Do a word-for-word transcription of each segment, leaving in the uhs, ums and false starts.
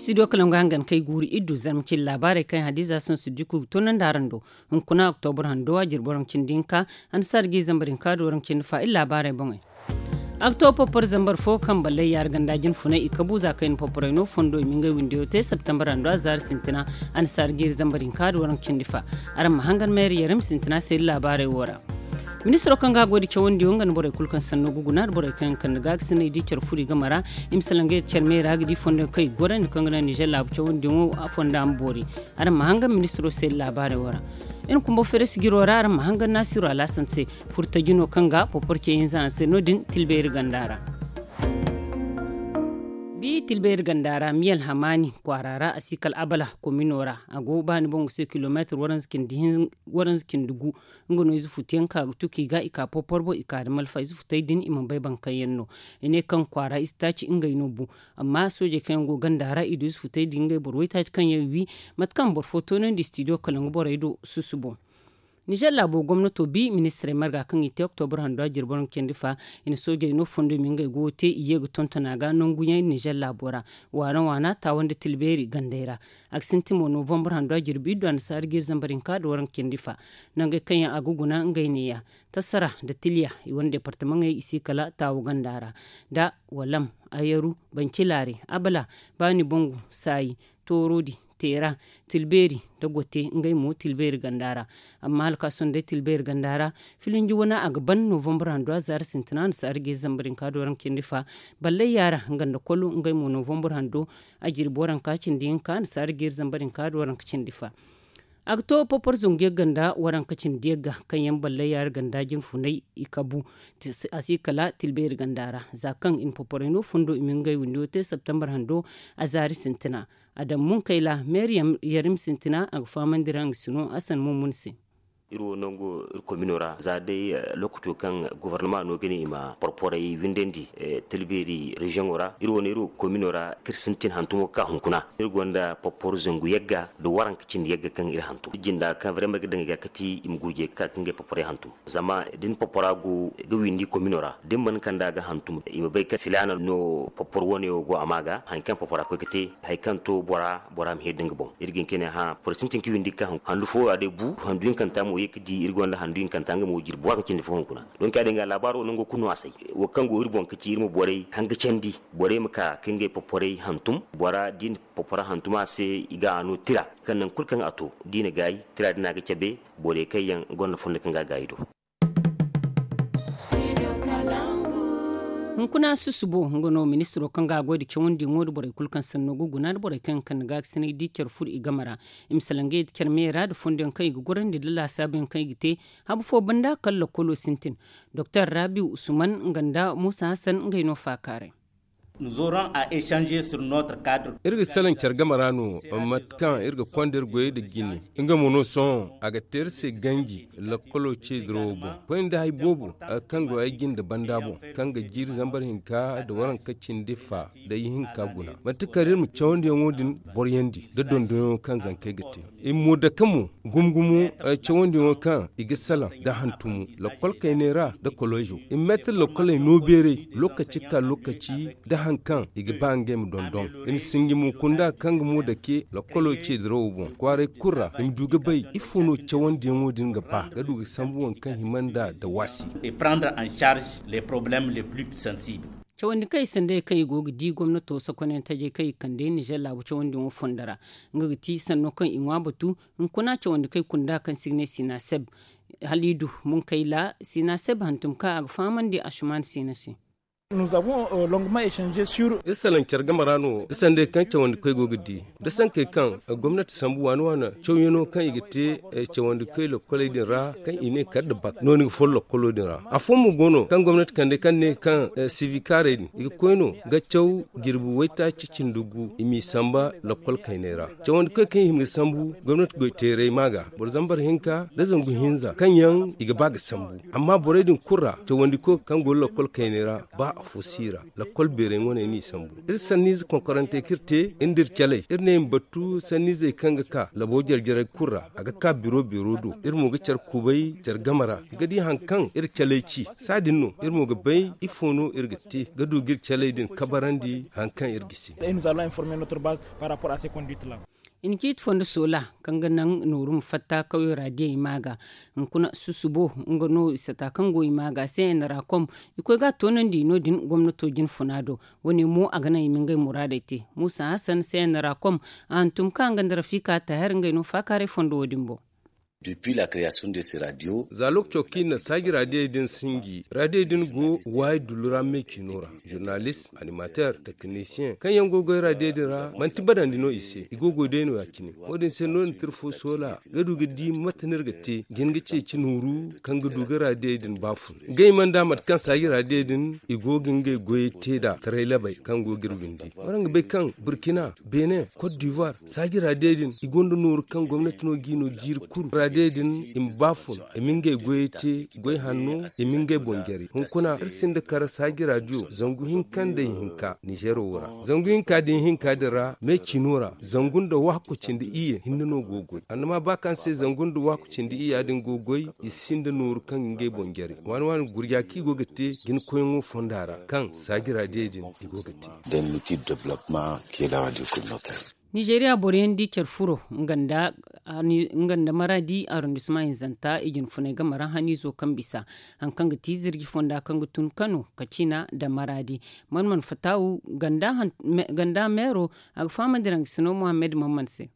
Studio kalangu hangan kay guuru iddu zarma cindi laabaarey kaŋ hadiza sansu diku ga toonandi araŋ do. Hunkuna oktobur hando a jirbi waranka cindi hinka, annasaara ga iri zambar hinka da waranka cindi fa iri laabaarey boŋey. A ga to popor zambar fo kaŋ ballay yaara ganda jinfunay i kabu za kaŋ i na poporay no fondo i ma ngey windiyo te septembar hando a zaari sintina. Annasaara ga iri zambar hinka da waranka cindi fa. Araŋ ma hangan mayra yarim sintina se iri laabaarey wo ra. Ministiro kaŋ ga a goy da cawandiyo nga nda borey kulu kaŋ sanno ga guna nda borey kaŋ yaŋ kande ga ga sinay da i care furo i game ra, i ma salaŋ ga care me ra ga di fondo kaŋ i ga gorandi kaŋ ga naŋ nizer laabu cawandiyaŋo a fonda ma boori. Araŋ ma hangan ministiro se laabaarey wo ra. Iri kumbo feres jiro ra araŋ ma hangan naasiru alaasan se, furtaji no kaŋ ga popor ce hinza a se no- din tilbeeri ganda ra. Bi tilbeeri ganda ra miyal hamaani kwaara ra a si kala abala komino ra. A go baani boŋ ga se kilomeetir waranza cindi gu. Nga no ize futu yaŋ ka ga tuki ga i ka popor boŋ i ka da malfa ize futey din i mana bay baŋ kaŋ yaŋ no. I ne kaŋ kwaara ize taaci ngey no bu. Amma soojey kaŋ yaŋ go ganda ra i du ize futey din ngey boro waytaaci kaŋ yaŋ wi mate kaŋ boro fo toonandi studio kala nga borey do susu boŋ. Nizer laabo gomnato bi ministirey marga kaŋ i te oktobur hando a jirbi waranka cindi fa. I na soojey no fondo i ma ngey goyo te i ye ga tonton a ga nangu yaŋ nizer laabo ra. Waana waana taawa nda tilbeeri gandey ra. A ga sintin mo novambur hando a jirbi iddu annasaara ga iri zambar hinka da waranka cindi fa. Nangey kaŋ yaŋ a ga guna ngey neeya, tasara nda tiliya i wane departamaŋey i si kala taawa ganda ra, da walam, ayaru, bancilaari, abala, baani bangu, saayi, toorodi, teera, tilbeeri, da gote ngey mo tilbeeri ganda ra. Amma hala ka sohõ day tilbeeri ganda ra, filinji wane a ga ban novambur hando a zaari sintina annasaara ga iri zambar hinka da waranka cindi fa. Ballay yaara nga nda kolo ngey mo novambur hando a jirbi waranka cindi hinka annasaara ga iri zambar hinka da waranka cindi fa. A ga to popor zangu yagga nda waranka cindi yagga kaŋ yaŋ ballay yaara ganda jinfunay i kabu. A si kala tilbeeri ganda ra za kaŋ i na poporay no fondo i ma ngey windiyo te septembar hando a zaari sintina. Adam munkayla meeri yarim sintina a ga fahamandi ra nga sino hasan mumun se. Iri wo nango iri komino ra za day lokaco kaŋ gobornama no ga ne i ma porporay windandi, tilbeeri reziyoŋo ra iri wo no iri komino ra kaŋ iri sintin hantumo ga ka hunkuna iri gonda porpor zangu yagga nda waranka cindi yagga kaŋ iri hantum iri jinda kaŋ vraiment ga daŋ i ga kati i ma gurjey ga ka ga ngey porporay hantum. Zama da ni porpora go ga windi komino ra da ni mana kand'a ga hantum i ma bay kaŋ filaana no porpor wane wo go a ma ga hari kaŋ porpora koy ga te hari kaŋ to bora bora ma heri da nga boŋ. Iri ga hin ka ne hã boro sintin ka windi ga ka handu fo a day bu handu hinkanta mo ye ga di iri gonda handu hinkanta nga mo jirbi waranka cindi fo hunkuna. Donk ya- din ga laabaaro nango kulu no a say. Wo kaŋ go iri boŋ ga ci iri ma borey hanga candi borey ma ka ga ngey porporay hantum bora da i na porpora hantum a se i ga a no tira kaŋ nangu kulu kaŋ a to da i na gaayi tira din a ga cabe borey kaŋ yaŋ gonda fondo kaŋ ga a gaayi do. Hunkuna susubo nga no ministiro kaŋ ga a goy nda cawandiyaŋo nda borey kulu kaŋ sanno ga guna nda borey kaŋ yaŋ kande ga ga sinay da i care furo i game ra. I ma salaŋ ga ye nda care me ra nda fondo yaŋ kaŋ i ga gorandi nda laasaabu yaŋ kaŋ i ga te. Habu fo banda kala lakkolo sintin. Doktor rabi usman nga nda musa hasan ngey no faakaaray. Iri ga salaŋ care game ra no mate kaŋ iri ga konda iri goyey nda jine. Nga mo no sohõ a ga te iri se ganji lakkolo ce dirawo boŋ koyne nda hari boobo kaŋ go ay jinde banda boŋ kaŋ ga jiiri zambar hinka nda waranka cindi fa nda ihinka guna manti kala iri ma cawandiyaŋo din boroyandi nda dondonyaŋo kaŋ zankey ga te. I ma mo dake mo gumo gumo cawandiyaŋo kaŋ i ga salaŋ nda hantumo lakkol kayney ra nda kolozo. I ma meetir lakkoley no beeray lokaci ga ka lokaci nda hari kaŋ i ga ba ngey ma dondon. I ma sinji mo kunda kaŋ ga mo dake lakkolo ce dirawo boŋ kwaaray kulu ra i ma du ga bay ifo no cawandiyaŋo din ga ba ga du ga sambu waŋ kaŋ hima nd'a da waasi. Cawandi kaŋ i sanday kaŋ i go ga di gomnato sokonyaŋ tajey kaŋ i kande nizer laabu cawandiyaŋo fondo ra. Nga ga ti sanno kaŋ i ŋwa batu hunkuna cawandi kaŋ i kunda kaŋ se i ga ne sinaseb. Hala i du munkayla sinaseb hantum kaŋ a ga fahamandi asuman sina se. Iri salaŋ care game ra no da sanday kaŋ cawandi koy go ga di da sankey kaŋ gomnati sambu waana waana cawyaŋo kaŋ i ga te cawandi koy lokkoley din ra kaŋ i ne kala nda bak no ni ga foro lokkolo din ra. Afooyaŋ mo go no kaŋ gomnati kande kaŋ ne kaŋ sivikaarey din i ga koy no ga caw jirbi waytaaci cindi gu i m'i samba lokkol kayney ra. Cawandi koy kaŋ i hima ga sambu gomnati goy teeray ma ga boro zambar hinka nda zangu hinza kaŋ yaŋ i ga ba ga sambu. Amma borey din kulu ra cawandi koy kaŋ go lokkol kayney ra ba Fo si ra, lakkol beeray wane no i sambu. Iri sanniize konkorante kaŋ iri te nda iri caley, iri ne i ma battu sanniizey kaŋ ga ka labo jare-jarey kulu ra. A ga ka biro beero do. Iri mo ga care kubay care game ra, i ga di hari kaŋ iri caley ci. Saadin no iri mo ga bay ifo no iri ga te ga du ga iri caley din kabarandi hari kaŋ iri gisi. I na ciiti fondo soola kaŋ ga naŋ nooru ma fatta kawyo ra diyey ma ga hunkuna susubo. Nga no i sata kaŋ go i ma ga se n ra kom. I koy ga a toonandi no- din gomnato jinfuna do. Wo- ne mo a ga naŋ i ma ngey muraadey te. Muusa hasan se n ra kom a hantum ka nga nda rafiika taahir ngey no faakaaray fondo wo- din boŋ. Za lookaco kaŋ i na saaji raadiyey din sinji raadiyey din go waayi dullu ra me ciino ra. Zurnalist, animateer, teknisiyeŋ kaŋ yaŋ go goy raadiyey din ra manti badandi no i se i go goy day no- ya cine. Wo- din se no- din tira fo soola ga du ga di mate no iri ga te jin ga ceeci nooru kaŋ ga du ga raadiyey din baafun. Ngey mana da mate kaŋ saaji raadiyey din i go ga ngey goyey te nd'a taray labey kaŋ go ga iri windi waraŋ ga bay kaŋ burkina, benin, kot divoire, saaji raadiyey din i gonda nooru kaŋ gomnati no g'i no jiiri kulu raadiyey din i ma baafun i ma ngey goyey te. Goy hanno i ma ngey boŋ jare hunkuna iri sinda kara saaji raadiyo zangu hinka nda ihinka nizeero wo ra. Zangu hinka nda ihinka din ra me ciino ra zangu nda waako cindi iyye hinne no go goy annama ba kaŋ se zangu nda waako cindi iyya din go goy i sinda nooru kaŋ ga ngey boŋ jare waani waani gurja kaŋ i go ga te jina koyyaŋo fonda ra kaŋ saaji raadiyey din i go ga te. Nizeeriya boro yaŋ di care furo nga nda maraadi arrondissement hinzanta i jinfunay game ra haniizo kaŋ bisa hari kaŋ ga ti zirji fonda kaŋ ga tun kano kacina nda maraadi. Man man fatawu ganda meero a ga fahamandi ra nga sino mohammed man man se.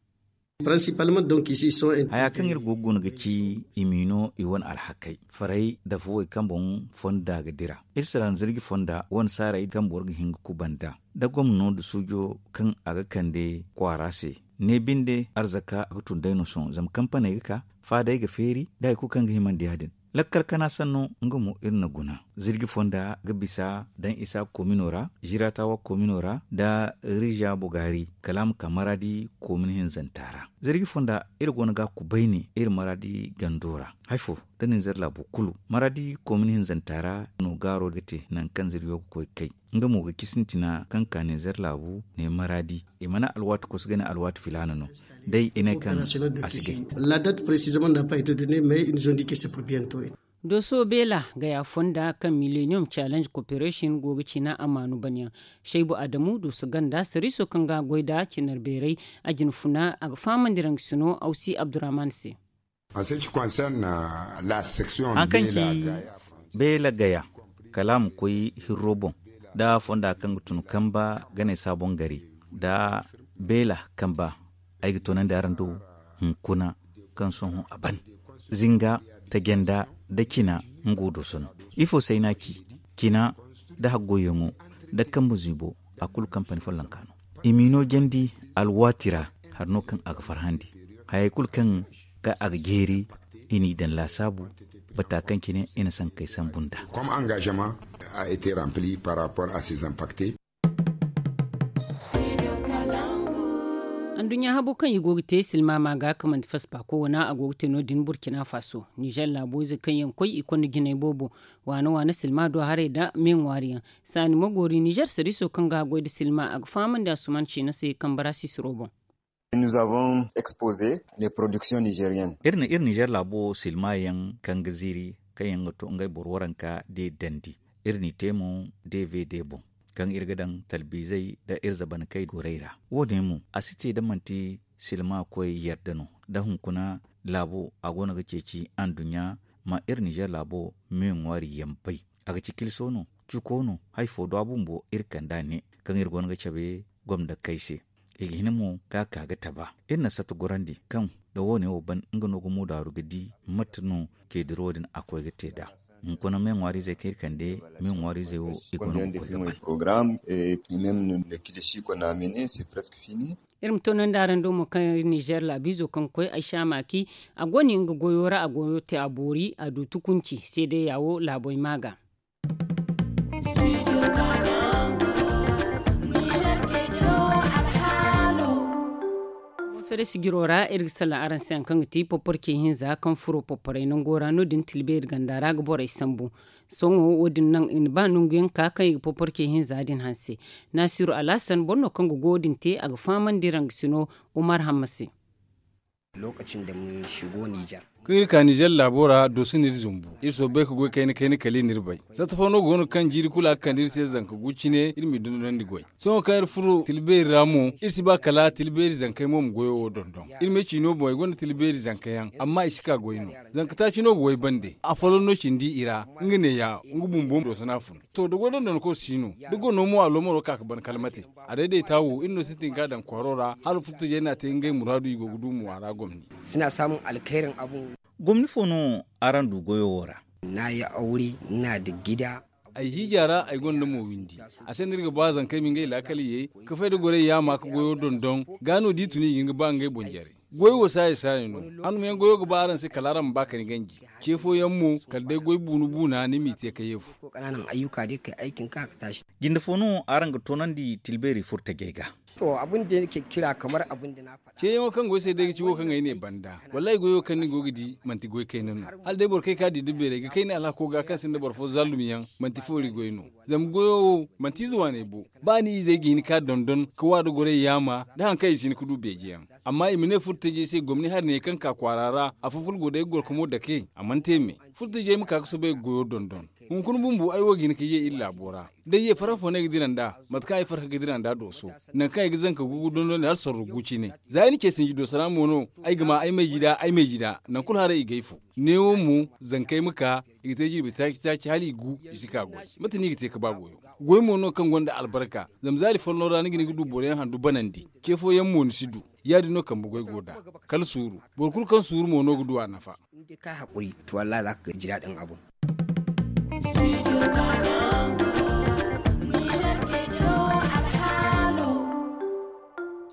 Haya kaŋ iri go ga guna ga ci i m'i no i wane alhakey faray nda fuwey kaŋ boŋ fonda ga dira. Iri si ra nzirji fonda wane saaray kaŋ boro ga hin ga kubanda nda gomno nda suujo kaŋ a ga kande kwaara se. Ne binde arzaka a ga tun day no sohõ zama kampaney ga ka faadey ga feeri nda hari kulu kaŋ ga himandi ya- din. Lakkal kana sanno nga mo iri na guna zirji fonda ga bisa daŋ isa komino ra ziratawa komino ra nda riza bogari kala a ma ka maraadi komin hinzanta ra. Zirji fonda iri go no ga a kubay ne iri maraadi gando ra. Hari fo da ninzeer laabo kulu maraadi komin hinzanta ra no gaaro ga te nangu kaŋ zirjo ga koy ga kay. Nga mo ga ci sintina kaŋ ka ninzeer laabu ne maraadi i mana alwaati kosu ga ne alwaati filaana no. Day i ne kaŋ a si gay. Dooso beela gaya fonda kaŋ millennium challenge cooperation go ga cina amaanu banyaŋ. Shaybu adamu dooso ganda sariiso kaŋ ga a goy nd'a cinar beeray a jinfuna a ga fahamandi ra nga sino awsi abdurrahman se. Hari kaŋ ci beela gaya kala a ma koy hirro boŋ nda fonda kaŋ ga tun kamba ganey saaboŋ gari nda beela kamba. Ay ga toonandi araŋ do hunkuna kaŋ sohõ a ban zinga tajanda nda cina. Nga wo dooso no ifo se ay n'a ci cina nda haggoyyaŋo nda kambe ziibo a kulu kampani follonka no. I m'i no jandi alwaati ra hari no kaŋ a ga farhandi hayey kulu kaŋ ga a ga jeeri i n'i daŋ laasaabu bata kaŋ cine i na sankey sambu nd'a. Comme engagement a été rempli par rapport à ces impactés. Anduɲɲa habo kaŋ i go ga te silmaama ga kaŋ manti faspaako wana a go ga te no- din burkina faso nizer laabo ize kaŋ yaŋ koy i konda jinay boobo waana waana silma do haray nda me ŋwaari yaŋ. Saani ma goori nizer sariiso kaŋ ga a goy nda silma a ga fahamandi a suman ciina se kambe ra sisiro boŋ. Iri na iri nizer laabo silma yaŋ kaŋ ga ziiri kaŋ yaŋ ga to ngey boro waranka de dandi. Iri n'i te mo dvd boŋ kaŋ iri ga daŋ talbiizey nda iri zabankey gorey ra. Wo- din mo a si te da manti silma koy yadda no da hunkuna laabo a go no ga ceeci anduɲɲa ma iri nizer laabo me ŋwaari yaŋ bay. A ga ci kilso no cuko no hari fo do a bumbo iri kand'a ne kaŋ iri go no ga cabe gomdakey se. I ga hin mo ga a ka ga taba iri na satta gorandi kaŋ da wo- ne wo ban nga no ga muudaaru ga di mate no ceediro din a koy ga te nd'a. Hunkuna me ŋwaariizey kaŋ iri kande me ŋwaariizey wo i go no ga koy ga ban. Iri ma toonandi araŋ do mo kaŋ iri nizer laabiizo kaŋ koy ay saamaaki a go no nga goyo ra a goyo te a boori a du tukunci seedayya wo laaboy ma ga. Feere sijiro ra iri ga salaŋ araŋ se hari kaŋ ga ti poporce hinza kaŋ furo poporay nango ra no- din tilbeeri ganda ra ga borey sambu. Sohõ wo- din naŋ i na ba nangu yaŋ ka kaŋ i ga poporce hinza din hanse. Naasiru alhasan boro no kaŋ ga goyo din te a ga fahamandi rangasino umar hamma se. Kaŋ iri ka nizer laabo ra dooso no iri zumbu. Iri soobay ga goy kayna kayna kala i n'iri bay. Satta fo no go no kaŋ jiiri kulu a ga kande iri se zanka gu cine iri m'i dondonandi goy. Sohõ kaŋ iri furo tila beeri ra mo iri si ba kala tila beeri zankey mo ma goyo wo dondon. Iri ma ay ciino boŋ ay gonda tila beeri zanka yaŋ amma i si ka goy no. Zanka taaci no ga way bande. Afooyaŋ no cindi i ra nga neeya nga bumbo dooso no a fun. To da goy dondonko si no da gono mo a loomaro ka ga ban kala mate. A dayday taawo iri no sintin ga a daŋ kwaaro ra hala furtajey no a te ngey muraadu i go ga du mo a ra gomni. Gomni fo no araŋ du goyo wo ra? Ay hiija ra ay gonda mo windi. A se no iri ga ba zankey ma ngey laakal ye ka fay da gorey yaama ka goyo dondon. Ga no da i tun i ga hin ga ba ngey boŋ jare. Goy wo saayi saayi no. Handumayaŋ goyo ga ba araŋ se kala araŋ ma ba ka ni ganji. Ce fooyaŋ mo kala day goy buuna buuna ni m'i te ka ye fu. Jinde fo no araŋ ga toonandi tilbeeri furtajey ga? Ceeyaŋo kaŋ go ay se day ga ci wo kaŋ ay ne banda. Wallaahi goyo kaŋ ni go ga di manti goy kayna no. Hala day boro kaŋ ay ka di da beeray ga kay ni alhako ga kaŋ sinda boro fo zallum yaŋ manti foori goy no. Zama goyo wo manti ize waaney bo. Ba ni izey ga hin ka dondon ka wa da gorey yaama da hari kaŋ i si hin ka du beeje yaŋ. Amma i ma ne furtajey se gomni hari ne kaŋ ka kwaara ra afo kulu go day ga gorko mo dake a mana te me. Furtajey ma ka ga soobay ga goyo dondon. Hunkuna bumbo ay wo ga hin ka ye iri laabo ra. Day ye farhã fo no ay ga dira nd'a mate kaŋ ay farhã ga dira nd'a dooso. Nangu kaŋ ay ga zanka gugu dondon hala sorro gu cine. Za ay na ce sinji dooso ra mo no ay ga ma ay mayji da ay mayji da nangu kulu haray i ga ay fu. Neewo mo zankey ma ka i ga te jirbi taaci taaci hala i gu. I si ka goy. Mate no i ga te ga ba goyo? Goy mo no kaŋ gonda albarka. Zama zaari folloŋ ra ni ga hin ga du boro yaŋ handu banandi. Ce fooyaŋ mo ni si du. Ya- din no kambe goy go nd'a. Kala suuru. Boro kulu kaŋ suuru mo no ga du a nafa.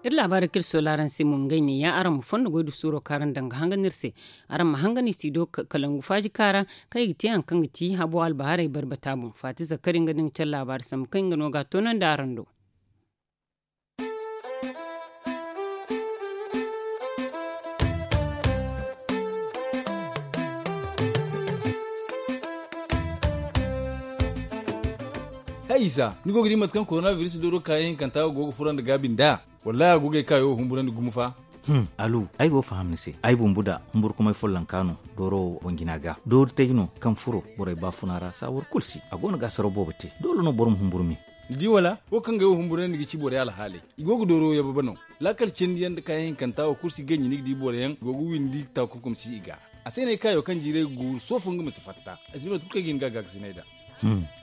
Iri laabaari kaŋ iri soola araŋ se mo ngey ne ya araŋ ma fondo goy nda suuro kaŋ araŋ daŋ ga hangan iri se. Araŋ ma hangan i si do kalangu faaji kaara kaŋ i ga te hari kaŋ ga ti habo albahaarey barbata boŋ faati zakari nga da nga care laabaari sambu kaŋ nga no ga a toonandi araŋ do. Hay isa ni go ga di mate kaŋ korona biris dooro kaayaŋ hinkanta go ga furandi gaabi nd'a? Wallaahi a go ga ay kaayo humburandi gumo fa. Alu, ay go ga faham ni se. Ay bumbu da humburkumay follonka no dooro wo boŋ jina ga. Doori tay no kaŋ furo borey baafuna ra saawar kulu se a go no ga asaro boobo te. Doole no boro ma humburu me. Ni di wala? Wo kaŋ ga ay wo humburandi ga ci borey alhaaley. I go ga dooro wo yababa no. Laakal cindi yaŋ nda kaayaŋ hinkanta wo kulu si ganji ni ga di boro yaŋ go ga windi taakunkum si i ga. A se no ay kaayo kaŋ jiiray ga guuru soofo nga ma si fatta. Ay si bay mate kulu kaŋ ay ga hin ga a gaakasinay nd'a.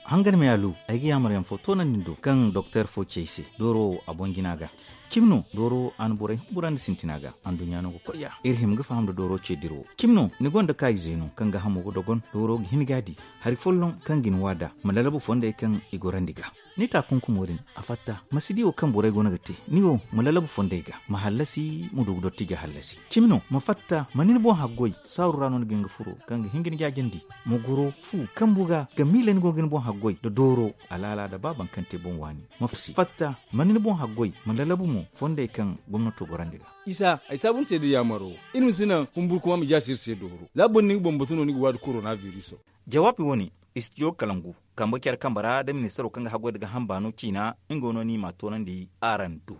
Hangan me alu, ay ga yaamar yaŋ fo toonandi ni do kaŋ doktor fo ci ay se dooro wo a boŋ jina ga. Cimi no dooro wo a na borey humburandi sintina ga anduɲɲa no ga koy ya iri hima ga faham nda dooro ce dira wo. Cimi no ni gonda kaayize no kaŋ ga hamo ga dogon dooro ga hin ga a di. Hari folloŋ kaŋ ga ni wa nd'a ma lalabu fondey kaŋ i gorandi ga. Ni taakunkumo din a fatta ma si di wo kaŋ borey go no ga te. Ni wo ma lalabu fondey ga ma hallasi ma du ga dotti ga hallasi. Cimi no ma fatta ma ni ni boŋ haggoy saaru ra no ni ga hin ga furo kaŋ ga hin ga ni jaajandi. Ma goro fu kambu ga ga miila ni go ga ni boŋ haggoy nda dooro alaala nda ba boro kaŋ te boŋ waani. Ma fatta ma ni ni boŋ haggoy ma lalabu mo fondey kaŋ gomnato gorandi ga. Isa ay saabu ni se nda yaamaro. Iri ma si naŋ humburkuma ma jaasi iri se dooro za boro ni ga bambatu no ni ga waadi korona biriso. Jawaabi wo- ne istijo kalangu kambe care kambe ra nda ministaro kaŋ ga haggoy nda ga hamba no ciina. Nga wo no ni m'a toonandi araŋ do.